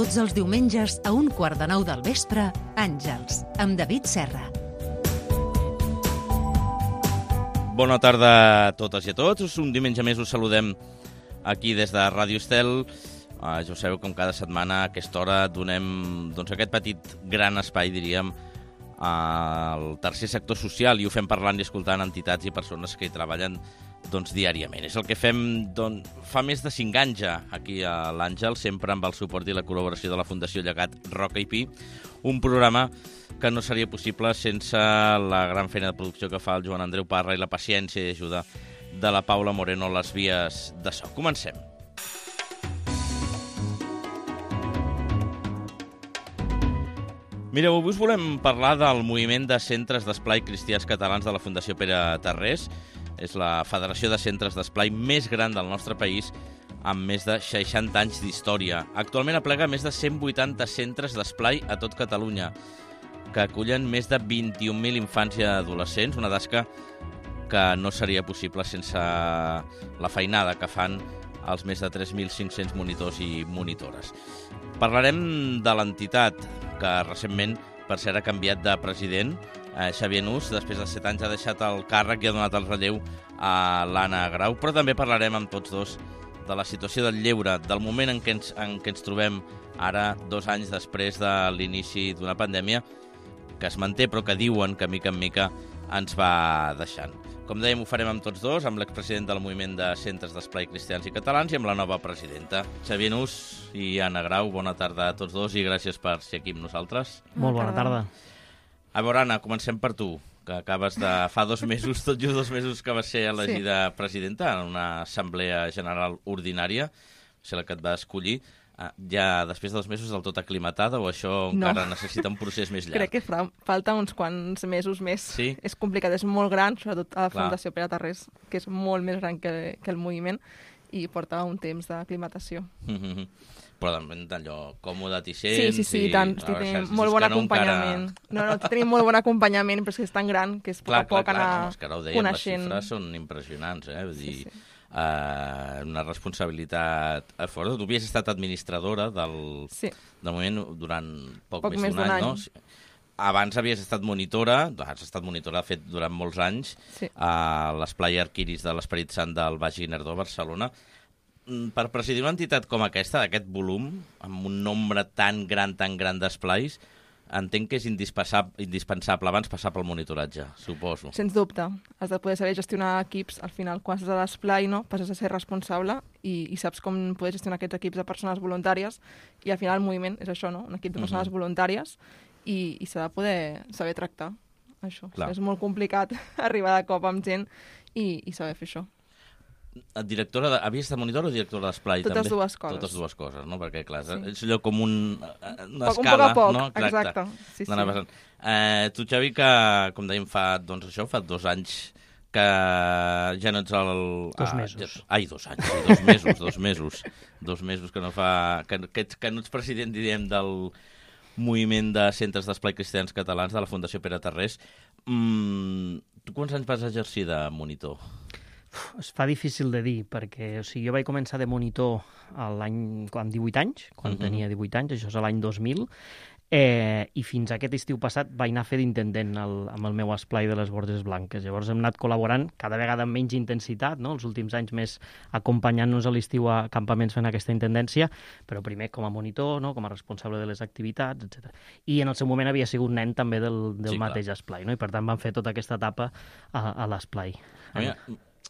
Tots els diumenges a 8:45 del vespre, Àngels, amb David Serra. Bona tarda a totes i a tots. Un diumenge més us saludem aquí des de Ràdio Estel. Ja ho sabeu, com cada setmana a aquesta hora donem aquest petit gran espai, diríem, al tercer sector social, i ho fem parlant i escoltant entitats i persones que hi treballen diàriament. És el que fem fa més de 5 anys ja aquí a l'Àngel, sempre amb el suport i la col·laboració de la Fundació Llegat Roca i Pi, un programa que no seria possible sense la gran feina de producció que fa el Joan Andreu Parra i la paciència i ajuda de la Paula Moreno a les vies de so. Comencem. Mireu, avui us volem parlar del moviment de centres d'esplai cristians catalans de la Fundació Pere Tarrés. És la federació de centres d'esplai més gran del nostre país, amb més de 60 anys d'història. Actualment aplega més de 180 centres d'esplai a tot Catalunya, que acullen més de 21.000 infants i adolescents, una tasca que no seria possible sense la feinada que fan els més de 3.500 monitors i monitores. Parlarem de l'entitat, que recentment, per cert, ha canviat de president. Xavier Nus, després de 7 anys, ha deixat el càrrec i ha donat el relleu a l'Anna Grau, però també parlarem amb tots dos de la situació del lleure, del moment en què ens trobem ara, 2 anys després de l'inici d'una pandèmia que es manté, però que diuen que mica en mica ens va deixant. Com dèiem, ho farem amb tots dos, amb l'expresident del moviment de centres d'esplai cristians i catalans i amb la nova presidenta. Xavier Nus i Anna Grau, bona tarda a tots dos i gràcies per ser aquí amb nosaltres. Molt bona tarda. A veure, Anna, comencem per tu, que acabes de... fa 2 mesos, tot just 2 mesos que vas ser elegida presidenta en una assemblea general ordinària, o sigui, la que et va escollir. Ja després de 2 mesos del tot aclimatada o això encara necessita un procés més llarg? Crec que falta uns quants mesos més. Sí? És complicat, és molt gran, sobretot a la Fundació Pere Tarrés, que és molt més gran que el moviment, i porta un temps d'aclimatació. Però d'allò còmode t'hi sents? Sí, tant. Tenim molt bon acompanyament. No, tenim molt bon acompanyament, però és que és tan gran que és a poc anar coneixent. Les xifres són impressionants, Vull dir, una responsabilitat forta. Tu havies estat administradora del moment durant poc més d'un any, no? Abans havies estat monitora, has estat monitora, de fet, durant molts anys, a l'Esplai Arquiris de l'Esperit Sant del Baix Guinardó, Barcelona. Per presidir una entitat com aquesta, d'aquest volum, amb un nombre tan gran d'esplais, entenc que és indispensable abans passar pel monitoratge, suposo. Sens dubte. Has de poder saber gestionar equips. Al final, quan estàs a l'esplai, passes a ser responsable i saps com poder gestionar aquests equips de persones voluntàries. I al final el moviment és això, no? Un equip de persones voluntàries i s'ha de poder saber tractar això. És molt complicat arribar de cop amb gent i saber fer això. Havies estat monitora o directora d'esplai? Totes dues coses. Totes dues coses, no? Perquè, clar, és allò com una Un escala, poc a poc, no? exacte. Sí. Tu, Xavi, que, com dèiem, fa 2 anys que ja no ets el... 2 mesos. Ai, 2 anys, 2 mesos. 2 mesos que no fa... Que no ets president, diríem, del moviment de centres d'esplai cristians catalans de la Fundació Pere Tarrés. Tu quants anys vas exercir de monitor? Es fa difícil de dir, perquè jo vaig començar de monitor amb 18 anys, quan tenia 18 anys, això és l'any 2000, i fins a aquest estiu passat vaig anar a fer d'intendent amb el meu esplai de les Borges Blanques. Llavors hem anat col·laborant cada vegada amb menys intensitat, no? Els últims anys més acompanyant-nos a l'estiu a campaments fent aquesta intendència, però primer com a monitor, no? Com a responsable de les activitats, etc. I en el seu moment havia sigut nen també del mateix esplai, no? I per tant vam fer tota aquesta etapa a l'esplai.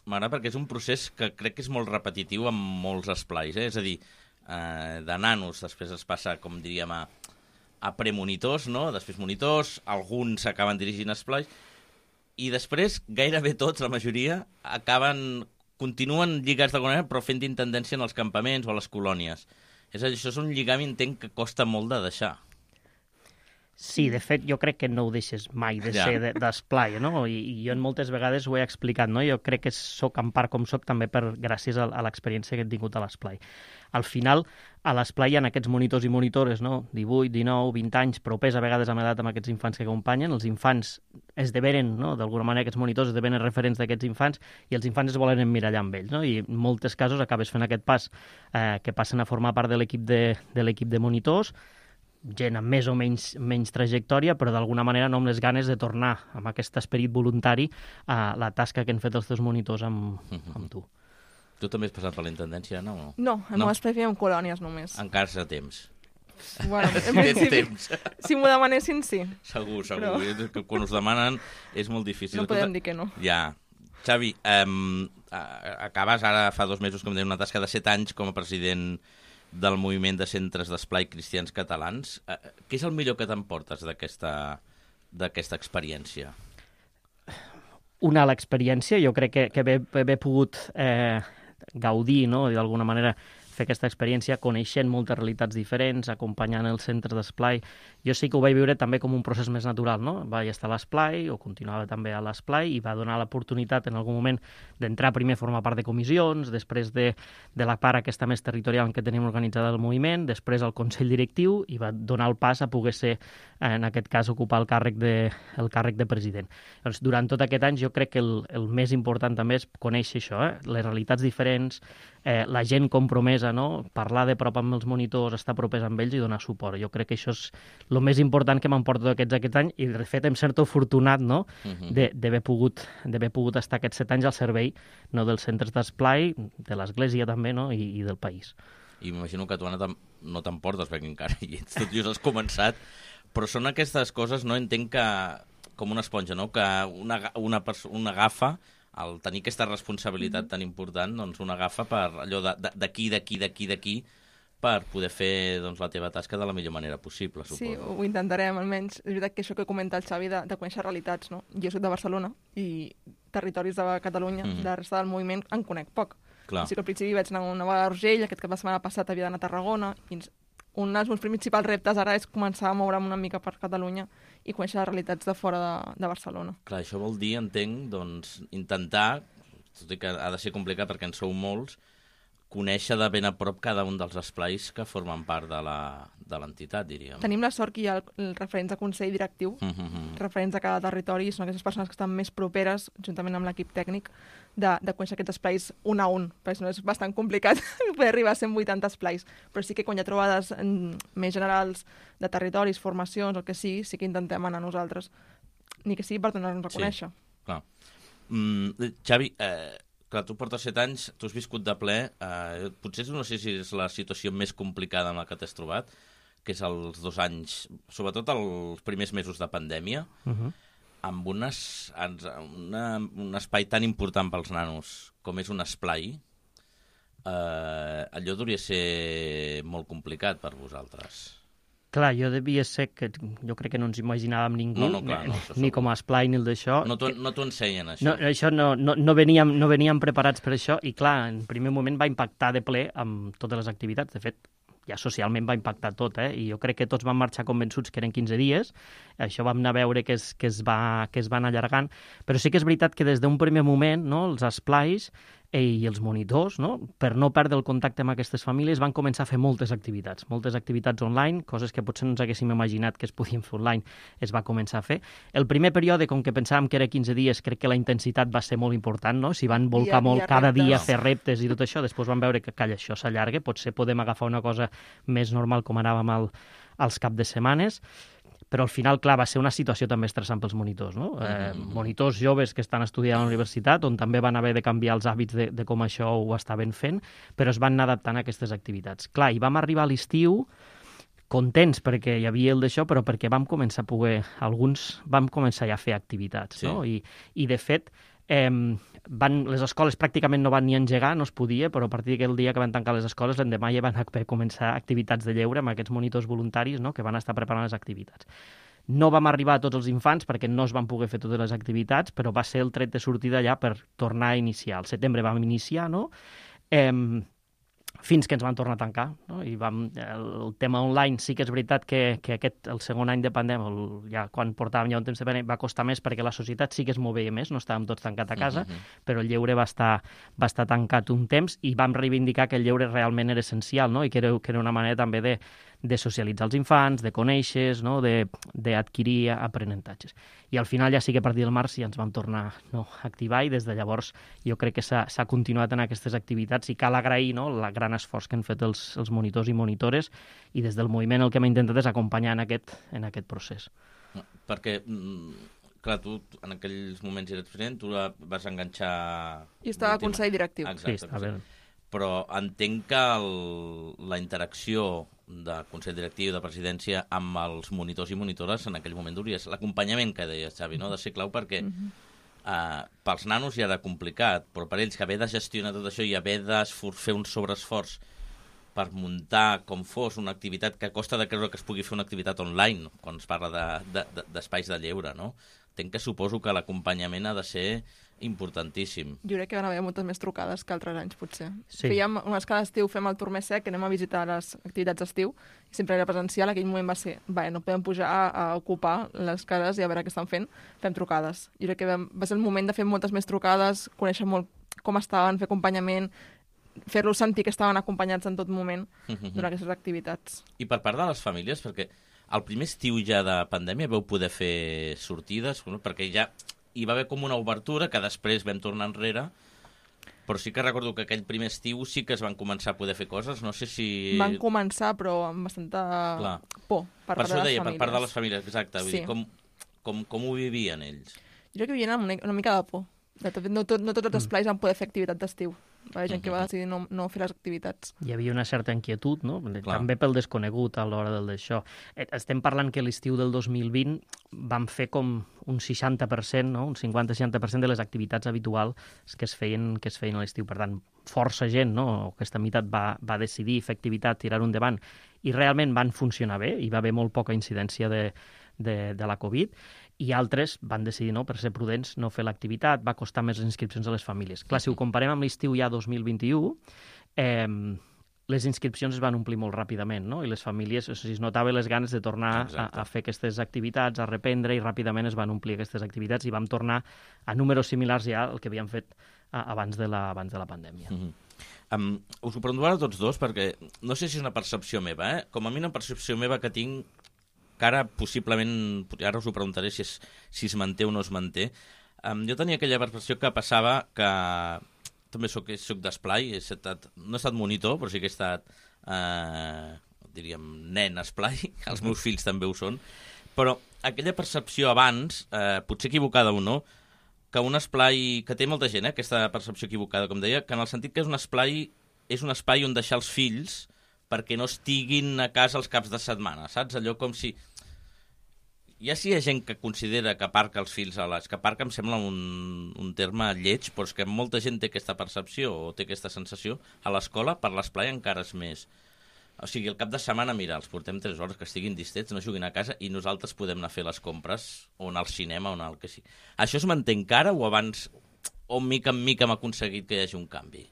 M'agrada perquè és un procés que crec que és molt repetitiu amb molts esplais, És a dir, de nanos després es passa, com diríem, a premonitors, no? Després monitors, alguns s'acaben dirigint esplais, i després gairebé tots, la majoria, continuen lligats d'alguna manera, però fent d'intendència en els campaments o a les colònies. És a dir, això és un lligam, entenc, que costa molt de deixar. Sí, de fet, jo crec que no ho deixes mai de ser d'esplai, no? I jo moltes vegades ho he explicat, no? Jo crec que sóc en part com sóc també gràcies a l'experiència que he tingut a l'esplai. Al final, a l'esplai hi ha aquests monitors i monitores, no? 18, 19, 20 anys, propers a vegades amb edat amb aquests infants que acompanyen. Els infants esdevenen, no? D'alguna manera, aquests monitors esdevenen referents d'aquests infants i els infants es volen emmirallar amb ells, no? I en molts casos acabes fent aquest pas que passen a formar part de l'equip de monitors, gent amb més o menys trajectòria, però d'alguna manera no amb les ganes de tornar amb aquest esperit voluntari a la tasca que han fet els teus monitors amb tu. Tu també has passat per la intendència, no? No, al meu espai fèiem colònies només. Encara s'ha temps. Bueno, en principi, si m'ho demanessin, sí. Segur. Però... Quan us demanen és molt difícil. No podem dir que no. Ja. Xavi, acabes ara, fa 2 mesos, com deia, una tasca de 7 anys com a president del moviment de centres d'esplai cristians catalans. Què és el millor que t'emportes d'aquesta experiència? Una, l'experiència. Jo crec que haver pogut gaudir, no?, i d'alguna manera fer aquesta experiència coneixent moltes realitats diferents, acompanyant els centres d'esplai. Jo sí que ho vaig viure també com un procés més natural, no? Vaig estar a l'esplai, o continuava també a l'esplai, i va donar l'oportunitat en algun moment d'entrar primer a formar part de comissions, després de la part aquesta més territorial en què tenim organitzada el moviment, després al Consell Directiu, i va donar el pas a poder ser, en aquest cas, ocupar el càrrec de president. Doncs, durant tot aquest any jo crec que el més important també és conèixer això, les realitats diferents, la gent compromesa, no? Parlar de prop amb els monitors, estar propers amb ells i donar suport. Jo crec que això és el més important que m'emporto aquest any, i de fet em sento afortunat, no?, d'haver pogut estar aquests 7 anys al servei, no, dels centres d'esplai, de l'Església també, no?, i del país. I m'imagino que tu, Anna, no t'emportes, perquè encara hi ets, tot just has començat, però són aquestes coses, no? Entenc que, com una esponja, no?, que una agafa, al tenir aquesta responsabilitat tan important, doncs una agafa per allò d'aquí, per poder fer, doncs, la teva tasca de la millor manera possible, suposo. Sí, ho intentarem, almenys. És veritat que això que comenta el Xavi de conèixer realitats, no? Jo soc de Barcelona i territoris de Catalunya, de la resta del moviment, en conec poc. Clar. O sigui que al principi vaig anar una vegada a Urgell, aquest cap de setmana passat havia d'anar a Tarragona, i un dels meus principals reptes ara és començar a moure'm una mica per Catalunya i conèixer les realitats de fora de Barcelona. Clar, això vol dir, entenc, doncs, intentar, tot i que ha de ser complicat perquè en sou molts, conèixer de ben a prop cada un dels esplais que formen part de l'entitat, diríem. Tenim la sort que hi ha els referents de Consell Directiu, referents de cada territori, són aquestes persones que estan més properes, juntament amb l'equip tècnic, de conèixer aquests esplais un a un, perquè si no és bastant complicat poder arribar a 180 esplais. Però sí que quan hi ha trobades més generals de territoris, formacions, el que sigui, sí que intentem anar nosaltres, ni que sigui per donar-nos a conèixer. Sí, clar. Xavi, clar, tu portes 7 anys, tu has viscut de ple, potser no sé si és la situació més complicada amb la que t'has trobat, que és els 2 anys, sobretot els primers mesos de pandèmia, amb un espai tan important pels nanos com és un esplai, allò hauria de ser molt complicat per vosaltres. Clar, jo devia ser que jo crec que no ens imaginàvem ningú, ni com a esplai ni el d'això. No t'ho ensenyen, això. No, això no veníem preparats per això, i clar, en primer moment va impactar de ple amb totes les activitats. De fet, ja socialment va impactar tot, i jo crec que tots vam marxar convençuts que eren 15 dies, això vam anar a veure que es va anar allargant, però sí que és veritat que des d'un primer moment, no, els esplais i els monitors, no, per no perdre el contacte amb aquestes famílies, van començar a fer moltes activitats online, coses que potser no ens haguéssim imaginat que es podien fer online, es va començar a fer. El primer període, com que pensàvem que era 15 dies, crec que la intensitat va ser molt important, no? S'hi van volcar molt cada dia a fer reptes i tot això, després vam veure que, calla, això s'allarga, potser podem agafar una cosa més normal com anàvem als cap de setmanes, però al final, clar, va ser una situació també estressant pels monitors, no? Monitors joves que estan estudiant a la universitat, on també van haver de canviar els hàbits de com això ho estaven fent, però es van anar adaptant a aquestes activitats. Clar, i vam arribar a l'estiu contents perquè hi havia el d'això, però perquè vam començar a poder, alguns vam començar ja a fer activitats, no? I de fet, les escoles pràcticament no van ni engegar, no es podia, però a partir d'aquell dia que van tancar les escoles, l'endemà ja van començar activitats de lleure amb aquests monitors voluntaris, no?, que van estar preparant les activitats. No vam arribar a tots els infants perquè no es van poder fer totes les activitats, però va ser el tret de sortida ja per tornar a iniciar. Al setembre vam iniciar, no? fins que ens van tornar a tancar, no? I el tema online sí que és veritat que el segon any de pandèmia, ja quan portàvem ja un temps de pandèmia, va costar més perquè la societat sí que es movia més, no estàvem tots tancats a casa, però el lleure va estar tancat un temps i vam reivindicar que el lleure realment era essencial, no? I que era una manera també de socialitzar els infants, de conèixer, no? D'adquirir aprenentatges. I al final ja sí que a partir del març ja ens vam tornar a activar i des de llavors jo crec que s'ha continuat en aquestes activitats i cal agrair, no? El gran esforç que han fet els monitors i monitores i des del moviment el que hem intentat és acompanyar en aquest procés. Perquè, clar, tu en aquells moments eres president, tu la vas enganxar... I estava al Consell Directiu. Exacte, sí, està bé. Però entenc que la interacció de Consell Directiu, de presidència, amb els monitors i monitores en aquell moment duries. L'acompanyament que deies, Xavi, no? Ha de ser clau perquè pels nanos ja era complicat, però per ells que haver de gestionar tot això i haver de fer un sobreesforç per muntar com fos una activitat que costa de creure que es pugui fer una activitat online, quan es parla d'espais de lleure, no? Entenc que suposo que l'acompanyament ha de ser importantíssim. Jo crec que van haver moltes més trucades que altres anys, potser. Sí. Fèiem unes cada estiu, fem el tour més sec, anem a visitar les activitats d'estiu, i sempre era presencial, aquell moment va ser, no podem pujar a ocupar les cases i a veure què estan fent, fem trucades. Jo crec que va ser el moment de fer moltes més trucades, conèixer molt com estaven, fer acompanyament, fer-los sentir que estaven acompanyats en tot moment durant aquestes activitats. I per part de les famílies, perquè el primer estiu ja de pandèmia vau poder fer sortides, perquè ja hi va haver com una obertura que després vam tornar enrere, però sí que recordo que aquell primer estiu sí que es van començar a poder fer coses, no sé si... Van començar, però amb bastanta por per part de les famílies. Per això deia, per part de les famílies, exacte. Sí. Vull dir, com ho vivien ells? Jo crec que vivien amb una mica de por. De fet, no tots els esplais van poder fer activitat d'estiu. Va haver gent que va decidir no fer les activitats. Hi havia una certa inquietud, no? També pel desconegut a l'hora d'això. Estem parlant que l'estiu del 2020 vam fer com un 60%, no? Un 50-60% de les activitats habituals que es feien a l'estiu. Per tant, força gent, no? Aquesta meitat va decidir fer activitat, tirar-ho endavant, i realment van funcionar bé, hi va haver molt poca incidència de la Covid, i altres van decidir, per ser prudents, no fer l'activitat, va costar més les inscripcions a les famílies. Clar, si ho comparem amb l'estiu ja 2021, les inscripcions es van omplir molt ràpidament, no? I les famílies, es notava les ganes de tornar a fer aquestes activitats, a reprendre, i ràpidament es van omplir aquestes activitats i vam tornar a números similars ja al que havíem fet abans de la pandèmia. Us ho pregunto ara tots dos, perquè no sé si és una percepció meva, com a mi una percepció meva que tinc, que ara possiblement, ara us ho preguntaré si es manté o no es manté, jo tenia aquella percepció que passava que també soc d'esplai, no he estat monitor, però sí que he estat, diríem, nen esplai, els meus fills també ho són, però aquella percepció abans, potser equivocada o no, que un esplai, que té molta gent, aquesta percepció equivocada, com deia, que en el sentit que és un espai on deixar els fills perquè no estiguin a casa els caps de setmana, saps? Allò com si... Ja si hi ha gent que considera que aparca els fills que aparca em sembla un terme lleig, però és que molta gent té aquesta percepció o té aquesta sensació. A l'escola, per l'esplai, encara és més. O sigui, el cap de setmana, mira, els portem 3 hores, que estiguin distets, no juguin a casa, i nosaltres podem anar a fer les compres, o anar al cinema, o anar al que sigui. Això es manté encara o abans, o mica en mica hem aconseguit que hi hagi un canvi?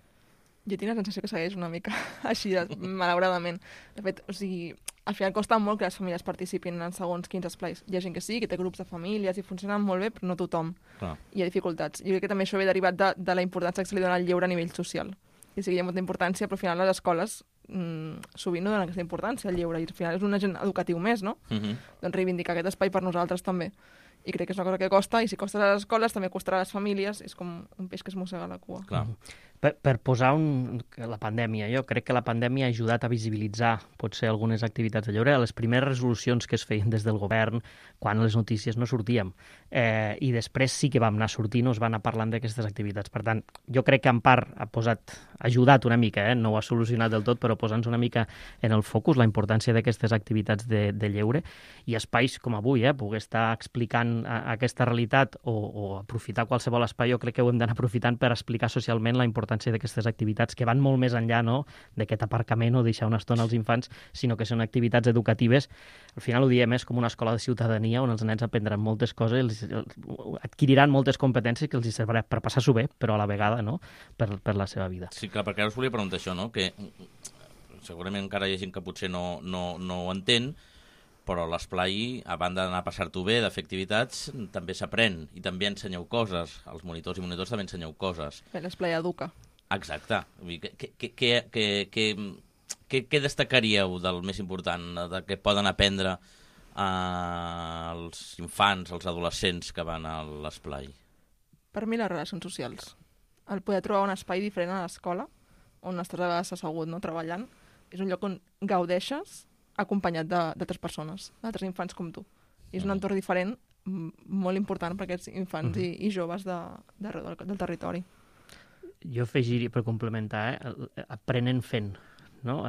Jo tinc la sensació que segueix una mica així, malauradament. De fet, o sigui, al final costa molt que les famílies participin en segons quins esplais. Hi ha gent que sí, que té grups de famílies i funcionen molt bé, però no tothom. Hi ha dificultats. Jo crec que també això ve derivat de la importància que se li dona al lleure a nivell social. I sí que hi ha molta importància, però al final les escoles sovint no donen aquesta importància al lleure, i al final és un agent educatiu més, no? Doncs reivindicar aquest espai per nosaltres també. I crec que és una cosa que costa, i si costa a les escoles també costarà a les famílies, és com un peix que es mossega la cua. Clar. Per posar la pandèmia, jo crec que la pandèmia ha ajudat a visibilitzar potser algunes activitats de lleure, les primeres resolucions que es feien des del govern quan les notícies no sortíem, i després sí que vam anar sortint, es van anar parlant d'aquestes activitats. Per tant, jo crec que en part ha ajudat una mica, no ho ha solucionat del tot, però posant-nos una mica en el focus la importància d'aquestes activitats de lleure, i espais com avui, poder estar explicant aquesta realitat o aprofitar qualsevol espai, jo crec que ho hem d'anar aprofitant per explicar socialment la importància importància d'aquestes activitats que van molt més enllà, no?, d'aquest aparcament o deixar una estona als infants, sinó que són activitats educatives. Al final ho diem, és com una escola de ciutadania on els nens aprendran moltes coses, adquiriran moltes competències que els servirà per passar-s'ho bé, però a la vegada, no?, per la seva vida. Sí, clar, perquè ara us volia preguntar això, no?, que segurament encara hi ha gent que potser no ho entén, però a l'esplai, a banda d'anar a passar-t'ho bé, de fer activitats, també s'aprèn i també ensenyeu coses. Els monitors i monitors també ensenyeu coses. Bé, l'esplai educa. Exacte. Què destacaríeu del més important, de què poden aprendre els infants, els adolescents que van a l'esplai? Per mi, les relacions socials. El poder trobar un espai diferent a l'escola, on estàs a vegades assegut, no?, treballant, és un lloc on gaudeixes acompanyat d'altres persones, d'altres infants com tu. I és un entorn diferent, molt important per aquests infants i joves del territori. Jo afegiria, per complementar, aprenen fent, no?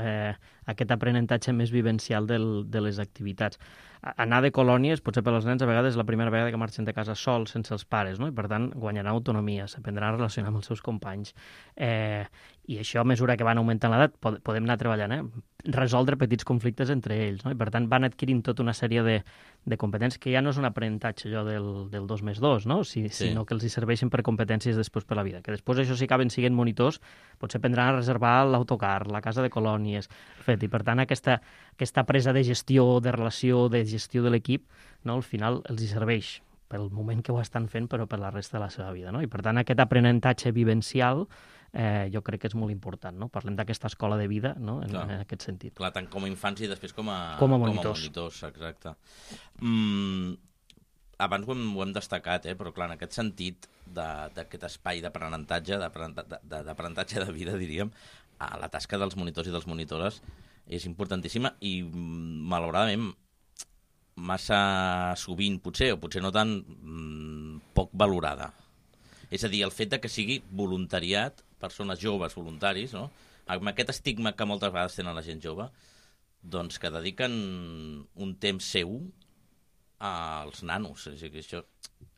Aquest aprenentatge més vivencial de les activitats. Anar de colònies, potser per als nens, a vegades és la primera vegada que marxen de casa sols, sense els pares, no? I per tant guanyaran autonomia, s'aprendran a relacionar amb els seus companys. I això, a mesura que van augmentant l'edat, podem anar treballant, resoldre petits conflictes entre ells, no? I per tant van adquirint tota una sèrie de competències que ja no és un aprenentatge allò del 2+2, no? Sinó que els hi serveixen per competències després per la vida. Que després això, si acaben sent monitors, potser aprendran a reservar l'autocar, la casa de colònies, i per tant aquesta presa de gestió, de relació, de gestió de l'equip, no, al final els hi serveix pel moment que ho estan fent, però per la resta de la seva vida, no? I per tant aquest aprenentatge vivencial jo crec que és molt important, no? Parlem d'aquesta escola de vida, no?, en aquest sentit. Clar, tant com a infants i després com a monitors. Exacte. Abans ho hem destacat, però clar, en aquest sentit d'aquest espai d'aprenentatge, d'aprenentatge de vida, diríem, la tasca dels monitors i dels monitores és importantíssima i, malauradament, massa sovint, potser, o potser no tan, poc valorada. És a dir, el fet de que sigui voluntariat, persones joves voluntaris, no?, amb aquest estigma que moltes vegades tenen la gent jove, doncs que dediquen un temps seu als nanos, és a dir, això,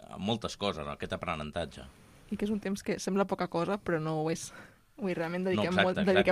a moltes coses, aquest aprenentatge. I que és un temps que sembla poca cosa, però no ho és. Vull dir, realment dediquem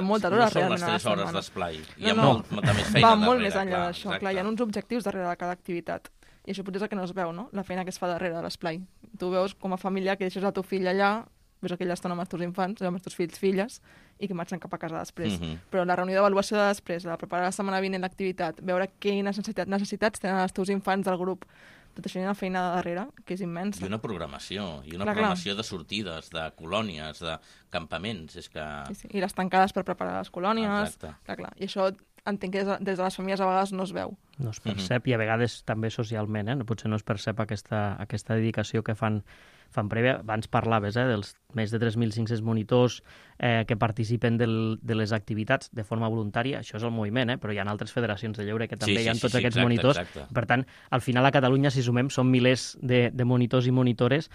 moltes hores realment a la setmana. No són les 3 hores d'esplai. Hi ha molta més feina darrere. Va molt més enllà d'això. Clar, hi ha uns objectius darrere de cada activitat. I això potser és el que no es veu, no?, la feina que es fa darrere de l'esplai. Tu veus com a família que deixes el teu fill allà, ves aquella estona amb els teus infants, amb els teus fills, filles, i que marxen cap a casa després. Però la reunió d'avaluació de després, la preparar la setmana vinent l'activitat, veure quines necessitats tenen els teus infants del grup, tot això hi ha una feina darrere, que és immensa. I una programació, programació de sortides, de colònies, de campaments. És que... Sí. I les tancades per preparar les colònies. Clar. I això entenc que des de les famílies a vegades no es veu. No es percep, i a vegades també socialment, potser no es percep aquesta dedicació que fan prèvia. Abans parlaves dels més de 3.500 monitors que participen de les activitats de forma voluntària. Això és el moviment, però hi ha altres federacions de lleure que també hi ha tots aquests monitors. Exacte. Per tant, al final a Catalunya, si sumem, són milers de monitors i monitores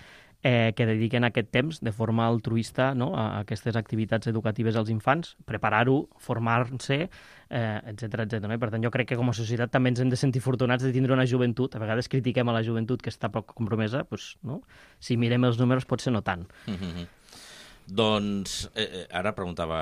que dediquen aquest temps de forma altruista, no?, a aquestes activitats educatives als infants, preparar-ho, formar-se, etcètera. I per tant, jo crec que com a societat també ens hem de sentir afortunats de tindre una joventut. A vegades critiquem a la joventut que està poc compromesa, doncs, no? Si mirem els números potser no tant. Doncs ara preguntava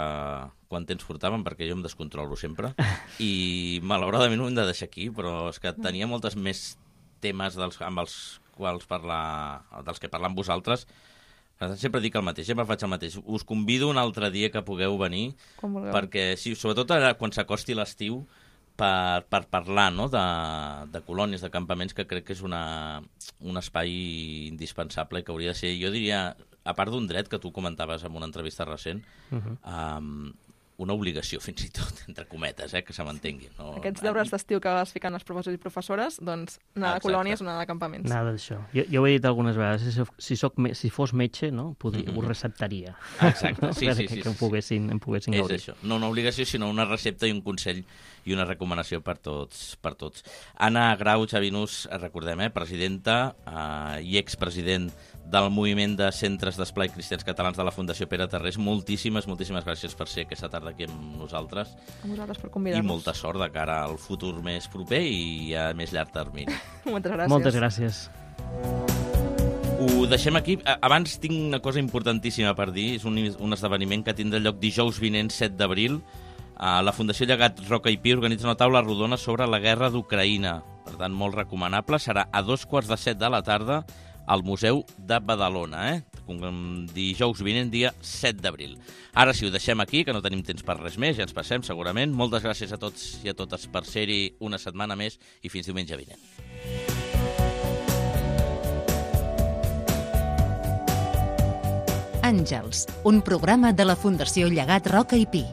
quant temps portàvem, perquè jo em descontrolo sempre, i malauradament ho hem de deixar aquí, però és que tenia moltes més temes amb els quals dels que parlar amb vosaltres. Sempre dic el mateix, sempre faig el mateix. Us convido un altre dia que pugueu venir, perquè sobretot ara quan s'acosti l'estiu, per parlar, no?, de colònies, de campaments, que crec que és un espai indispensable i que hauria de ser, jo diria, a part d'un dret que tu comentaves en una entrevista recent, una obligació, fins i tot, entre cometes, que se m'entengui. No? Aquests deures d'estiu que es fiquen els professors i professores, doncs anar de colònies o anar de campaments. Nada d'això. Jo ho he dit algunes vegades, si fos metge, no, ho receptaria. Exacte, sí. Que em poguessin gaudir. És això, no una obligació, sinó una recepta i un consell i una recomanació per tots. Anna Grau Chavinus, recordem, presidenta i expresident del moviment de centres d'esplai cristians catalans de la Fundació Pere Tarrés. Moltíssimes gràcies per ser aquesta tarda aquí amb nosaltres. A vosaltres per convidar-nos. I molta sort de cara al futur més proper i a més llarg termini. Moltes gràcies. Moltes gràcies. Ho deixem aquí. Abans tinc una cosa importantíssima per dir. És un esdeveniment que tindrà lloc dijous vinent, 7 d'abril. La Fundació Llegat Roca i Pi organitza una taula rodona sobre la guerra d'Ucraïna. Per tant, molt recomanable. Serà a 2:45 de la tarda al Museu de Badalona, dijous vinent, dia 7 d'abril. Ara sí, ho deixem aquí, que no tenim temps per res més, ja ens passem segurament. Moltes gràcies a tots i a totes per ser-hi una setmana més i fins diumenge vinent. Àngels, un programa de la Fundació Llegat Roca i Pi.